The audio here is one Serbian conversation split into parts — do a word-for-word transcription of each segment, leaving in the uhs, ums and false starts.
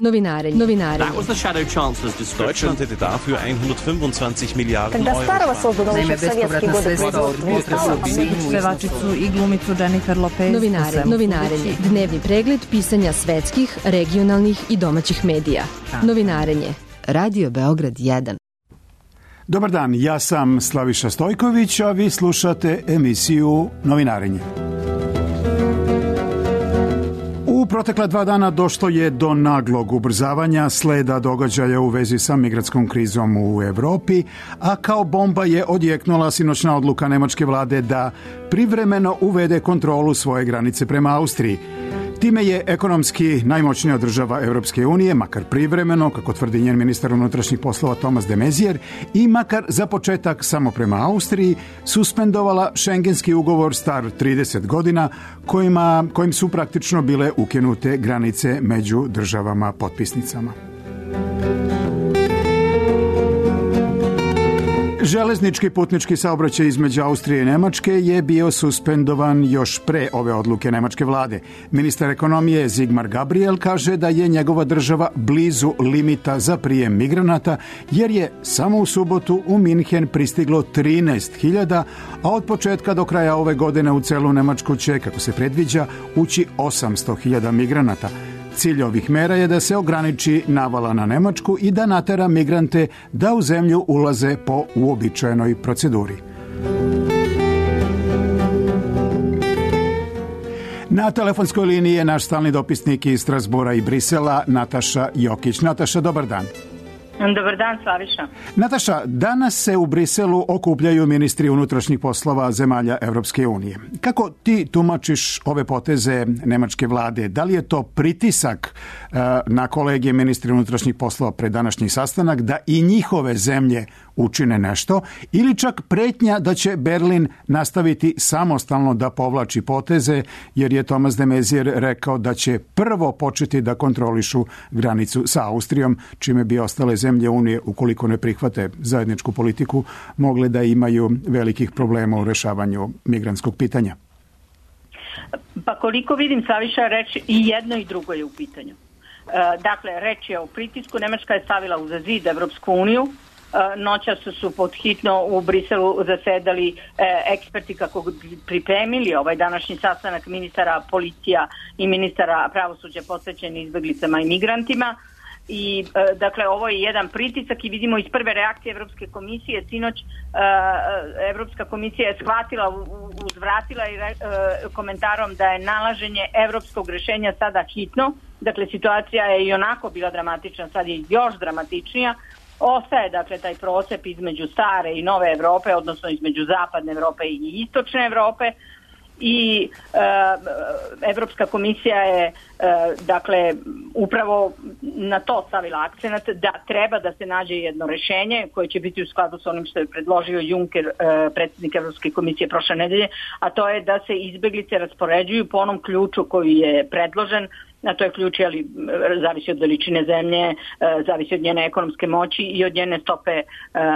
Novinarenje. Novinarenje. That was the Shadow Chancellor's description. Deutschland hätte dafür hundertfünfundzwanzig Miliarden Когда Euro. Старого создано еще в советские годы производство. Pevačicu i glumicu Jennifer Lopez. Novinarenje. Novinarenje. Dnevni pregled pisanja svetskih, regionalnih i domaćih medija. Novinarenje. Radio Beograd jedan. Dobar dan, ja sam Slaviša Stojković, a vi slušate emisiju Novinarenje. U protekla dva dana došlo je do naglog ubrzavanja sleda događaja u vezi sa migrantskom krizom u Evropi, a kao bomba je odjeknula sinoćna odluka nemačke vlade da privremeno uvede kontrolu svoje granice prema Austriji. Time je ekonomski najmoćnija država Evropske unije, makar privremeno, kako tvrdi njen ministar unutrašnjih poslova Thomas de Maizière, i makar za početak samo prema Austriji, suspendovala šengenski ugovor star trideset godina, kojima, kojim su praktično bile ukinute granice među državama potpisnicama. Železnički putnički saobraćaj između Austrije i Nemačke je bio suspendovan još pre ove odluke nemačke vlade. Ministar ekonomije Sigmar Gabriel kaže da je njegova država blizu limita za prijem migranata, jer je samo u subotu u Minhen pristiglo trinaest hiljada, a od početka do kraja ove godine u celu Nemačku će, kako se predviđa, ući osamsto hiljada migranata. Cilj ovih mera je da se ograniči navala na Nemačku i da natera migrante da u zemlju ulaze po uobičajenoj proceduri. Na telefonskoj liniji je naš stalni dopisnik iz Strasbura i Brisela, Nataša Jokić. Nataša, dobar dan. Dobar dan, Slaviša. Nataša, danas se u Briselu okupljaju ministri unutrašnjih poslova zemalja Evropske unije. Kako ti tumačiš ove poteze nemačke vlade? Da li je to pritisak uh, na kolegije ministri unutrašnjih poslova pred današnji sastanak da i njihove zemlje učine nešto, ili čak pretnja da će Berlin nastaviti samostalno da povlači poteze, jer je Thomas de Maizière rekao da će prvo početi da kontrolišu granicu sa Austrijom, čime bi ostale zemlje Unije, ukoliko ne prihvate zajedničku politiku, mogle da imaju velikih problema u rešavanju migrantskog pitanja. Pa koliko vidim, Slaviša, reč i jedno i drugo je u pitanju. Dakle, reč je o pritisku. Nemačka je stavila uz zid Evropsku uniju. Noćas su podhitno u Briselu zasedali eksperti kako pripremili ovaj današnji sastanak ministara policija i ministara pravosuđa posvećeni izbeglicama i migrantima. I dakle, ovo je jedan pritisak i vidimo iz prve reakcije Evropske komisije. Sinoć Evropska komisija je shvatila, uzvratila i komentarom da je nalaženje evropskog rešenja sada hitno. Dakle, situacija je i onako bila dramatična, sad je još dramatičnija. Ostaje, dakle, taj procep između stare i nove Evrope, odnosno između zapadne Evrope i istočne Evrope. I e, Evropska komisija je e, dakle upravo na to stavila akcenat da treba da se nađe jedno rešenje koje će biti u skladu sa onim što je predložio Juncker, e, predsjednik Evropske komisije prošle nedelje, a to je da se izbeglice raspoređuju po onom ključu koji je predložen. A to je ključ, ali zavisi od veličine zemlje, zavisi od njene ekonomske moći i od njene stope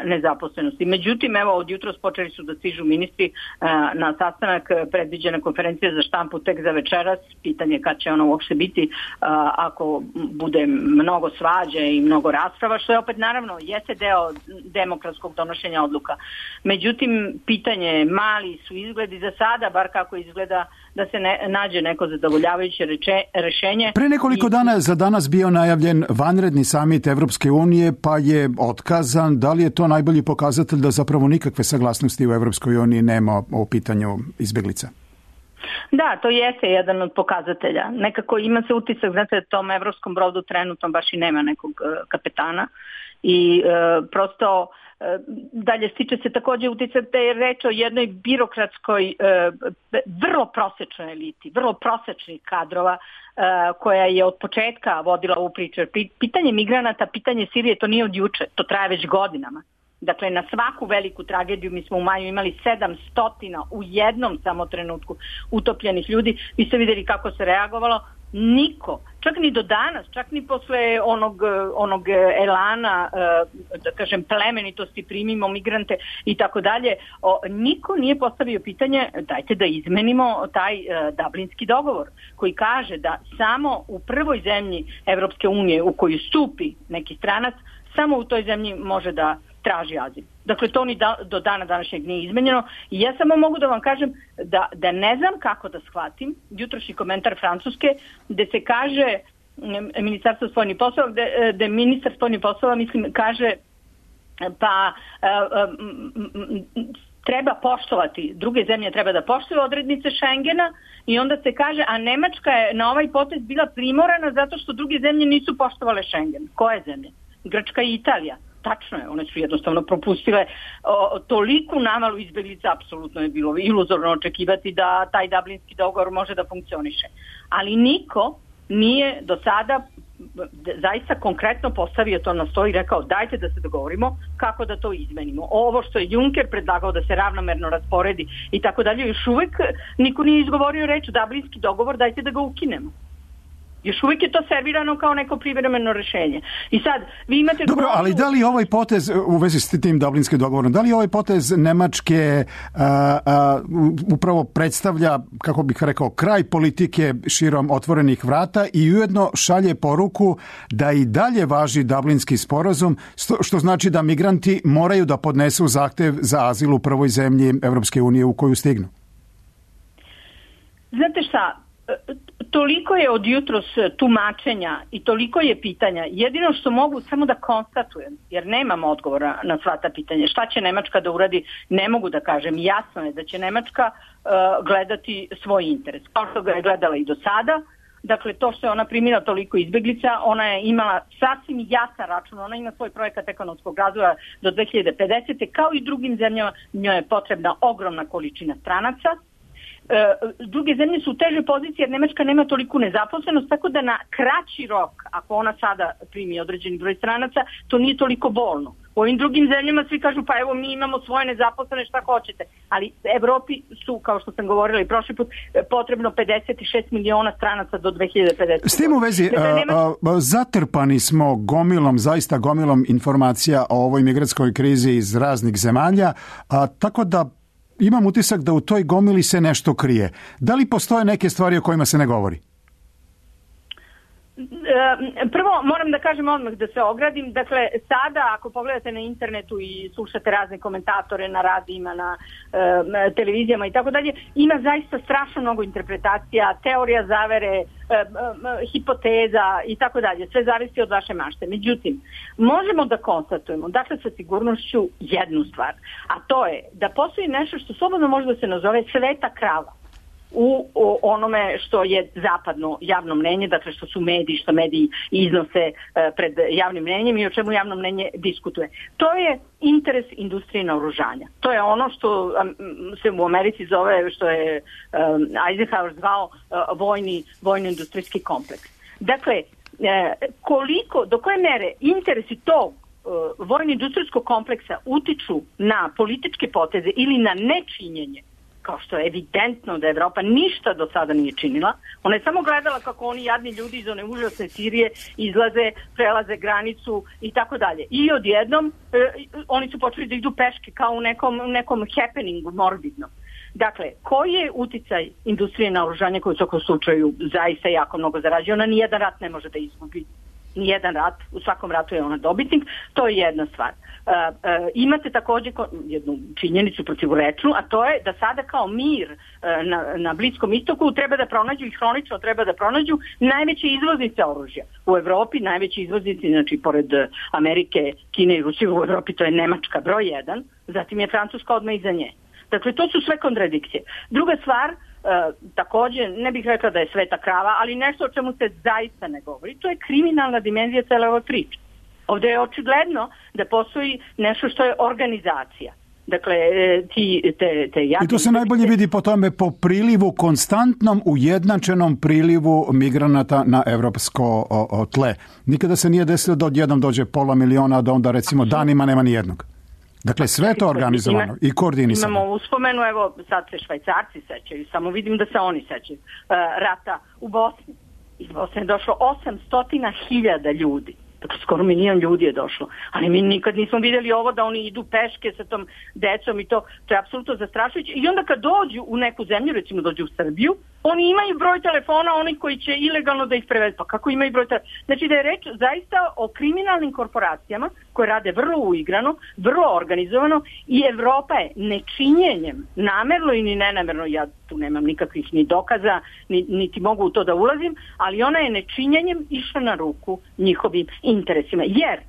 nezaposlenosti. Međutim, evo, od jutros počeli su da stižu ministri na sastanak, predviđena konferencija za štampu tek za večeras. Pitanje kad će ona uopšte biti ako bude mnogo svađe i mnogo rasprava, što je opet naravno jeste deo demokratskog donošenja odluka. Međutim, pitanje mali su izgledi za sada, bar kako izgleda da se ne, nađe neko zadovoljavajuće reče, rešenje. Pre nekoliko dana za danas bio najavljen vanredni samit Evropske unije, pa je otkazan. Da li je to najbolji pokazatelj da zapravo nikakve saglasnosti u Evropskoj uniji nema o pitanju izbjeglica? Da, to jeste jedan od pokazatelja. Nekako ima se utisak, znate, tom evropskom brodu trenutno baš i nema nekog uh, kapetana i uh, prosto uh, dalje stiče se također utisak da je reč o jednoj birokratskoj, uh, vrlo prosečnoj eliti, vrlo prosečnih kadrova uh, koja je od početka vodila ovu priču. Pitanje migranata, pitanje Sirije, to nije od juče, to traje već godinama. Dakle, na svaku veliku tragediju mi smo u maju imali sedamsto u jednom samo trenutku utopljenih ljudi. Vi ste vidjeli kako se reagovalo. Niko, čak ni do danas, čak ni posle onog, onog elana, da kažem, plemenitosti, primimo migrante i tako dalje, niko nije postavio pitanje dajte da izmenimo taj Dublinski dogovor koji kaže da samo u prvoj zemlji Evropske unije u koju stupi neki stranac, samo u toj zemlji može da traži azil. Dakle, to ni da, do dana današnjeg nije izmenjeno i ja samo mogu da vam kažem da, da ne znam kako da shvatim jutrošnji komentar Francuske gde se kaže Ministarstvo spoljnih poslova, gde, gde ministar spoljnih poslova, mislim, kaže pa treba poštovati, druge zemlje treba da poštuju odrednice Schengena i onda se kaže, a Nemačka je na ovaj potez bila primorana zato što druge zemlje nisu poštovale Schengen. Koje zemlje? Grčka i Italija. Tačno je, one su jednostavno propustile o, toliku navalu izbeglica, apsolutno je bilo iluzorno očekivati da taj Dublinski dogovor može da funkcioniše. Ali niko nije do sada zaista konkretno postavio to na sto i rekao dajte da se dogovorimo kako da to izmenimo. Ovo što je Juncker predlagao da se ravnomerno rasporedi i tako dalje, još uvek niko nije izgovorio reč Dublinski dogovor, dajte da ga ukinemo. Još uvijek je to servirano kao neko privremeno rešenje. I sad, vi imate... Dobro, grozu... ali da li ovaj potez, u vezi s tim Dublinskim dogovorom, da li ovaj potez Nemačke a, a, upravo predstavlja, kako bih rekao, kraj politike širom otvorenih vrata i ujedno šalje poruku da i dalje važi Dublinski sporazum, što znači da migranti moraju da podnesu zahtev za azil u prvoj zemlji Evropske unije u koju stignu? Znate šta, toliko je od jutros tumačenja i toliko je pitanja. Jedino što mogu samo da konstatujem, jer nemam odgovora na sva ta pitanja. Šta će Nemačka da uradi, ne mogu da kažem. Jasno je da će Nemačka uh, gledati svoj interes. Kao što ga je gledala i do sada. Dakle, to što je ona primila toliko izbeglica, ona je imala sasvim jasan račun. Ona ima svoj projekat ekonomskog razvoja do dve hiljade pedesete. Kao i drugim zemljama, njoj je potrebna ogromna količina stranaca. Druge zemlje su u težoj poziciji jer Nemačka nema toliku nezaposlenost, tako da na kraći rok, ako ona sada primi određeni broj stranaca, to nije toliko bolno. U ovim drugim zemljama svi kažu pa evo mi imamo svoje nezaposlene, šta hoćete. Ali Evropi su, kao što sam govorila i prošli put, potrebno pedeset šest miliona stranaca do dve hiljade pedesete. S tim u vezi, dakle, Nemačka... a, a, zatrpani smo gomilom, zaista gomilom informacija o ovoj migrantskoj krizi iz raznih zemalja, a, tako da imam utisak da u toj gomili se nešto krije. Da li postoje neke stvari o kojima se ne govori? Prvo, moram da kažem odmah da se ogradim. Dakle, sada ako pogledate na internetu i slušate razne komentatore na radijima, na e, televizijama i tako dalje, ima zaista strašno mnogo interpretacija, teorija zavere, e, e, hipoteza i tako dalje. Sve zavisi od vaše mašte. Međutim, možemo da konstatujemo, dakle sa sigurnošću jednu stvar, a to je da postoji nešto što slobodno može da se nazove sveta krava u onome što je zapadno javno mnenje, dakle što su mediji, što mediji iznose pred javnim mnenjem i o čemu javno mnenje diskutuje. To je interes industrije naoružanja. To je ono što se u Americi zove, što je Eisenhower zvao vojni, vojno-industrijski kompleks. Dakle, koliko, do koje mere interesi tog vojno-industrijskog kompleksa utiču na političke poteze ili na nečinjenje, kao što je evidentno da Evropa ništa do sada nije činila. Ona je samo gledala kako oni jadni ljudi iz one užasne Sirije izlaze, prelaze granicu i tako dalje. I odjednom e, oni su počeli da idu peške kao u nekom, nekom happeningu morbidno. Dakle, koji je uticaj industrije naoružanja koja u svakom slučaju zaista jako mnogo zarađuje? Ona nijedan rat ne može da izgubi. Nijedan rat, u svakom ratu je ona dobitnik, to je jedna stvar. Uh, uh, imate također jednu činjenicu protivurečnu, a to je da sada kao mir uh, na, na Bliskom istoku treba da pronađu i hronično treba da pronađu najveće izvoznice oružja. U Evropi najveći izvoznici, znači pored Amerike, Kine i Rusije, u Evropi to je Nemačka broj jedan, zatim je Francuska odmah iza nje. Dakle, to su sve kontradikcije. Druga stvar, E, također, ne bih rekla da je sveta krava, ali nešto o čemu se zaista ne govori, to je kriminalna dimenzija cele ove priče. Ovdje je očigledno da postoji nešto što je organizacija. Dakle, ti, te, te I to se najbolje vidi po tome, po prilivu, konstantnom ujednačenom prilivu migranata na evropsko o, o tle. Nikada se nije desilo da odjednom dođe pola miliona, a da onda recimo danima nema ni jednog. Dakle, sve to organizovano Ima, i koordinisano. Imamo uspomenu, evo sad se Švajcarci sećaju, samo vidim da se oni sećaju, uh, rata u Bosni. iz Bosne je došlo osamsto hiljada ljudi. Dakle, skoro milijon ljudi je došlo. Ali mi nikad nismo vidjeli ovo da oni idu peške sa tom decom i to. To je apsolutno zastrašujuće. I onda kad dođu u neku zemlju, recimo dođu u Srbiju, oni imaju broj telefona, oni koji će ilegalno da ih prevedu. Pa kako imaju broj telefona? Znači da je reč zaista o kriminalnim korporacijama koje rade vrlo uigrano, vrlo organizovano i Evropa je nečinjenjem, namerno i ni nenamerno, ja tu nemam nikakvih ni dokaza, ni, niti mogu u to da ulazim, ali ona je nečinjenjem išla na ruku njihovim interesima. Jer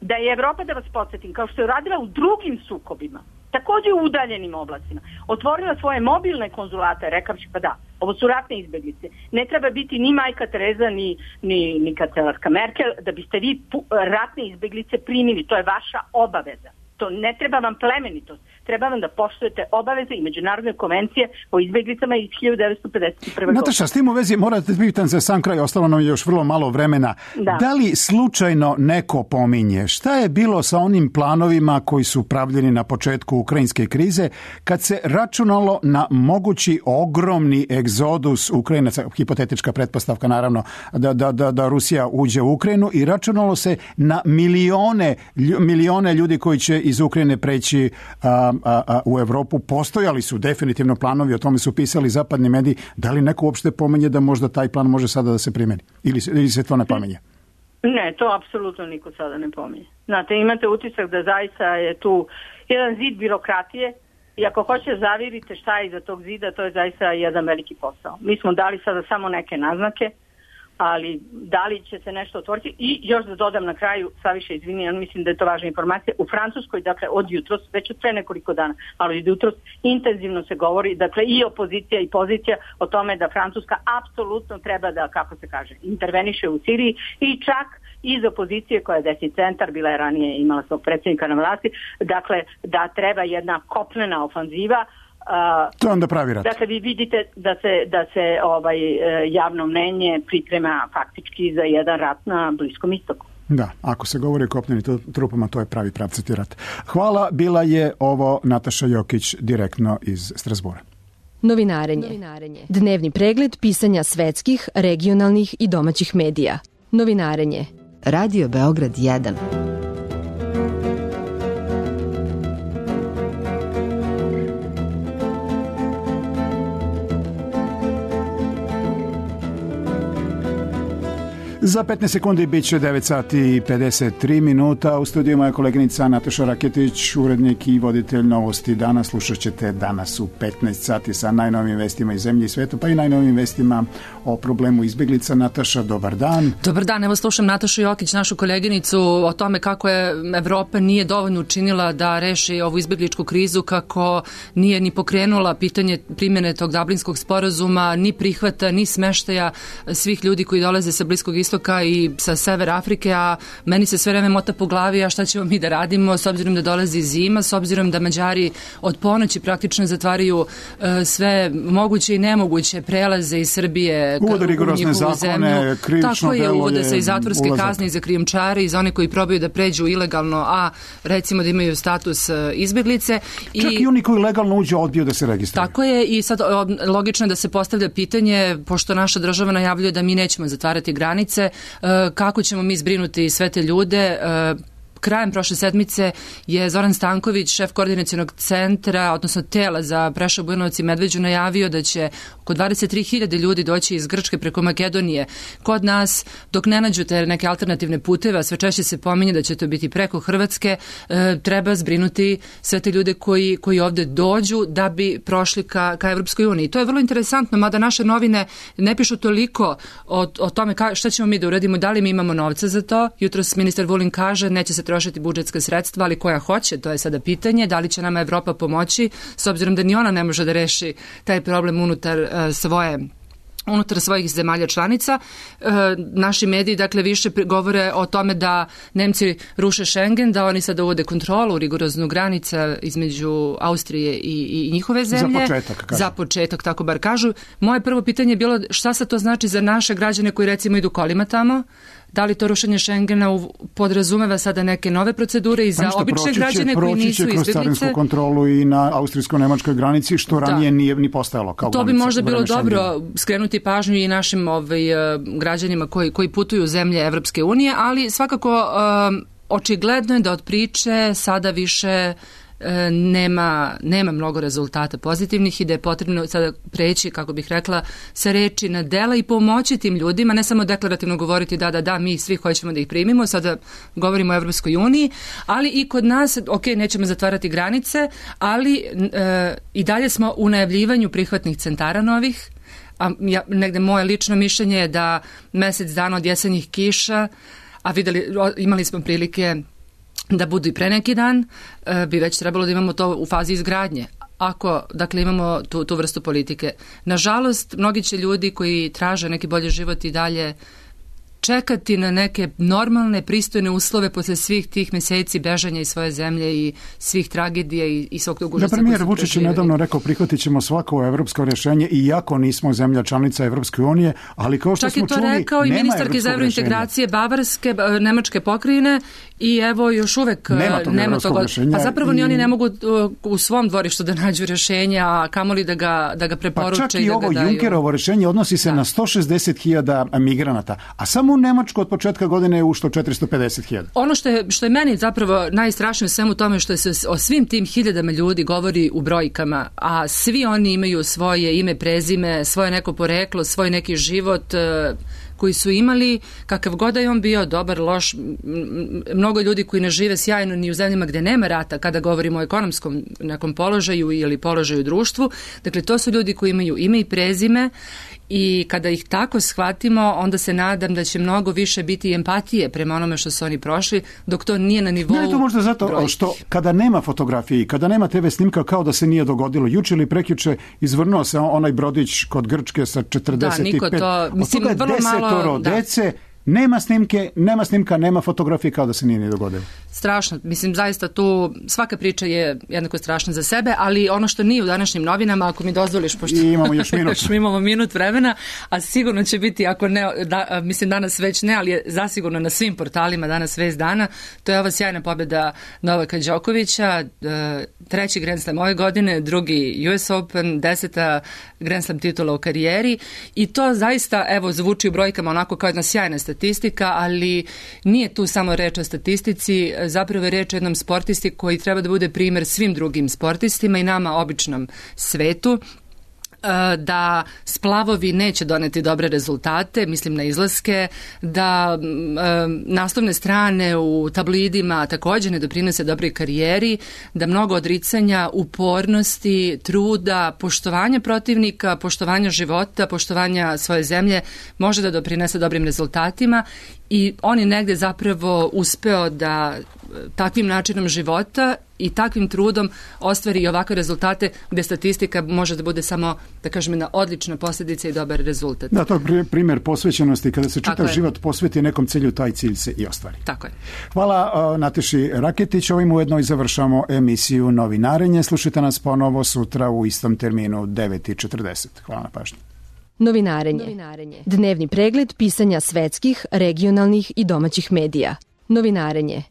da je Evropa, da vas podsjetim, kao što je radila u drugim sukobima, također u udaljenim oblastima, otvorila svoje mobilne konzulate, rekavši pa da, ovo su ratne izbjeglice. Ne treba biti ni majka Tereza, ni, ni, ni kancelarka Merkel, da biste vi pu, ratne izbjeglice primili. To je vaša obaveza. To ne treba vam plemenitost. Treba vam da poštujete obaveze i međunarodne konvencije o izbjeglicama iz hiljadu devetsto pedeset prve. Nataša, s tim u vezi morate pitan za sam kraj, ostalo nam je još vrlo malo vremena. Da. Da li slučajno neko pominje šta je bilo sa onim planovima koji su pravljeni na početku ukrajinske krize, kad se računalo na mogući ogromni egzodus Ukrajinaca, hipotetička pretpostavka naravno, da, da, da, da Rusija uđe u Ukrajinu, i računalo se na milione, milione ljudi koji će iz Ukrajine preći a, a, a, u Evropu. Postojali su definitivno planovi, o tome su pisali zapadni mediji. Da li neko uopšte pomenje da možda taj plan može sada da se primeni? Ili, ili se to ne pomenje? Ne, to apsolutno niko sada ne pominje. Znate, imate utisak da zaista je tu jedan zid birokratije i ako hoće zavirite šta je iza tog zida, to je zaista jedan veliki posao. Mi smo dali sada samo neke naznake, ali da li će se nešto otvoriti. I još da dodam na kraju, Saviša, izvini, mislim da je to važna informacija, u Francuskoj, dakle, od jutros, već od pre nekoliko dana, ali od jutros intenzivno se govori, dakle, i opozicija i pozicija o tome da Francuska apsolutno treba da, kako se kaže, interveniše u Siriji, i čak iz opozicije koja je desni centar, bila je ranije, imala svog predsjednika na vlasti, dakle, da treba jedna kopnena ofanziva. Uh, to je onda pravi rat. Dakle, vi vidite da se, da se ovaj, javno mnenje priprema faktički za jedan rat na Bliskom istoku. Da, ako se govori o kopnenim trupama, to je pravi pravcati rat. Hvala, bila je ovo Nataša Jokić direktno iz Strasbura. Novinarenje. Novinarenje. Dnevni pregled pisanja svetskih, regionalnih i domaćih medija. Novinarenje. Radio Beograd jedan. Za petnaest sekundi bit će devet sati i pedeset tri minuta. U studiju moja koleginica Nataša Raketić, urednik i voditelj Novosti danas. Slušat ćete danas u petnaest sati sa najnovim vestima iz zemlje i sveta, pa i najnovim vestima o problemu izbjeglica. Nataša, dobar dan. Dobar dan, evo slušam Natašu Jokić, našu koleginicu, o tome kako je Evropa nije dovoljno učinila da reši ovu izbjegličku krizu, kako nije ni pokrenula pitanje primjene tog Dublinskog sporazuma, ni prihvata, ni smeštaja svih ljudi koji dolaze sa Bliskog istoka i sa Severa Afrike, a meni se sve vreme mota po glavi, a šta ćemo mi da radimo s obzirom da dolazi zima, s obzirom da Mađari od ponoći praktično zatvaraju uh, sve moguće i nemoguće prelaze iz Srbije uvode rigorozne zakone, krivično tako je, delo uvode se i zatvorske ulazak. Kazne i za krijumčare i za one koji probaju da pređu ilegalno, a recimo da imaju status uh, izbjeglice. Čak i, i oni koji legalno uđu odbiju da se registruju. Tako je, i sad logično je da se postavlja pitanje, pošto naša država najavljuje da mi nećemo zatvarati granice, kako ćemo mi zbrinuti sve te ljude. Krajem prošle sedmice je Zoran Stanković, šef koordinacionog centra, odnosno tela za Preševo, Bujanovac i Medveđu, najavio da će oko dvadeset tri hiljade ljudi doći iz Grčke preko Makedonije kod nas, dok ne nađu te neke alternativne puteve, a sve češće se pominje da će to biti preko Hrvatske, e, treba zbrinuti sve te ljude koji, koji ovde dođu da bi prošli ka, ka Evropskoj uniji. To je vrlo interesantno, mada naše novine ne pišu toliko o, o tome ka, šta ćemo mi da uradimo, da li mi imamo novca za to. Jutros ministar Vulin kaže neće se trošiti budžetska sredstva, ali koja hoće, to je sada pitanje, da li će nama Evropa pomoći, s obzirom da ni ona ne može da reši taj problem unutar uh, svoje unutar svojih zemalja članica. E, naši mediji, dakle, više govore o tome da Nemci ruše Schengen, da oni sada uvode kontrolu, rigoroznu granica između Austrije i, i njihove zemlje. Za početak, kažu. Za početak, tako bar kažu. Moje prvo pitanje je bilo šta sad to znači za naše građane koji recimo idu kolima tamo, Da li to rušenje Schengena podrazumeva sada neke nove procedure i za pa obične građane koji nisu izbjeglice? Proći će kroz carinsku kontrolu i na austrijsko-nemačkoj granici, što da. ranije nije ni postojalo kao to granica. To bi možda bilo dobro skrenuti pažnju i našim ovaj, građanima koji, koji putuju u zemlje Evropske unije, ali svakako um, očigledno je da od priče sada više nema, nema mnogo rezultata pozitivnih i da je potrebno sada preći, kako bih rekla, sa reči na dela i pomoći tim ljudima, ne samo deklarativno govoriti da, da, da, mi svi hoćemo da ih primimo, sada govorimo o Evropskoj uniji, ali i kod nas, ok, nećemo zatvarati granice, ali e, i dalje smo u najavljivanju prihvatnih centara novih, a ja, negde moje lično mišljenje je da mesec dana od jesenjih kiša, a videli, imali smo prilike da budu i pre neki dan, bi već trebalo da imamo to u fazi izgradnje. Ako, dakle, imamo tu, tu vrstu politike. Nažalost, mnogi će ljudi koji traže neki bolji život i dalje čekati na neke normalne, pristojne uslove posle svih tih meseci bežanja iz svoje zemlje i svih tragedija i, i svog tog užasa. Da, premijer Vučić je nedavno rekao prihvatit ćemo svako evropsko rješenje, iako nismo zemlja članica Evropske unije, ali kao što čak smo čuli, nema evropskog rješenja. Čak je to rekao i ministarka iz evrointegracije Bavarske, nemačke pokrajine i evo još uvek nema, nema toga. A zapravo i ni oni ne mogu u svom dvorištu da nađu rješenja, a kamoli da ga, da ga preporuče pa čak i, i da ovo ga daju. Junckerovo rješenje odnosi se da. na sto šezdeset hiljada migranata, a samo u Nemačku od početka godine je ušlo četiristo pedeset hiljada. Ono što je, što je meni zapravo najstrašnije u svemu tome što se o svim tim hiljadama ljudi govori u brojkama, a svi oni imaju svoje ime, prezime, svoje neko poreklo, svoj neki život koji su imali, kakav god da je on bio, dobar, loš, mnogo ljudi koji ne žive sjajno ni u zemljama gde nema rata, kada govorimo o ekonomskom nekom položaju ili položaju u društvu. Dakle, to su ljudi koji imaju ime i prezime i kada ih tako shvatimo, onda se nadam da će mnogo više biti empatije prema onome što su oni prošli, dok to nije na nivou brojki. Ne, to možda zato brojki. Što kada nema fotografiji, kada nema te ve snimka, kao da se nije dogodilo. Juče ili prekjuče izvrnuo se onaj brodić kod Grčke sa četrdeset pet. Da, niko to, mislim, vrlo malo, dece, nema snimke, nema snimka, nema fotografije, kao da se nije ni dogodilo. Strašno, mislim, zaista tu svaka priča je jednako strašna za sebe, ali ono što nije u današnjim novinama, ako mi dozvoliš, pošto I imamo još minut. još imamo minut vremena, a sigurno će biti, ako ne, da, mislim danas već ne, ali je zasigurno na svim portalima danas vest dana, to je ova sjajna pobjeda Novaka Đokovića, treći Grand Slam ove godine, drugi U S Open, deseta Grand Slam titula u karijeri i to zaista, evo, zvuči u brojkama onako kao jedna sjajna statistika, ali nije tu samo reč o statistici, zapravo je reč o jednom sportisti koji treba da bude primjer svim drugim sportistima i nama običnom svetu, da splavovi neće doneti dobre rezultate, mislim na izlaske, da e, naslovne strane u tabloidima također ne doprinose dobroj karijeri, da mnogo odricanja, upornosti, truda, poštovanja protivnika, poštovanja života, poštovanja svoje zemlje može da doprinese dobrim rezultatima i on je negde zapravo uspeo da takvim načinom života i takvim trudom ostvari i ovakve rezultate gde statistika može da bude samo, da kažem, jedna odlična posljedica i dobar rezultat. Da, to je primjer posvećenosti. Kada se čitav život posveti nekom cilju, taj cilj se i ostvari. Tako je. Hvala uh, Nataši Raketić. Ovim ujedno i završamo emisiju Novinarenje. Slušajte nas ponovo sutra u istom terminu devet i četrdeset. Hvala na pažnji. Novinarenje. Novinarenje. Dnevni pregled pisanja svetskih, regionalnih i domaćih medija. Novinarenje.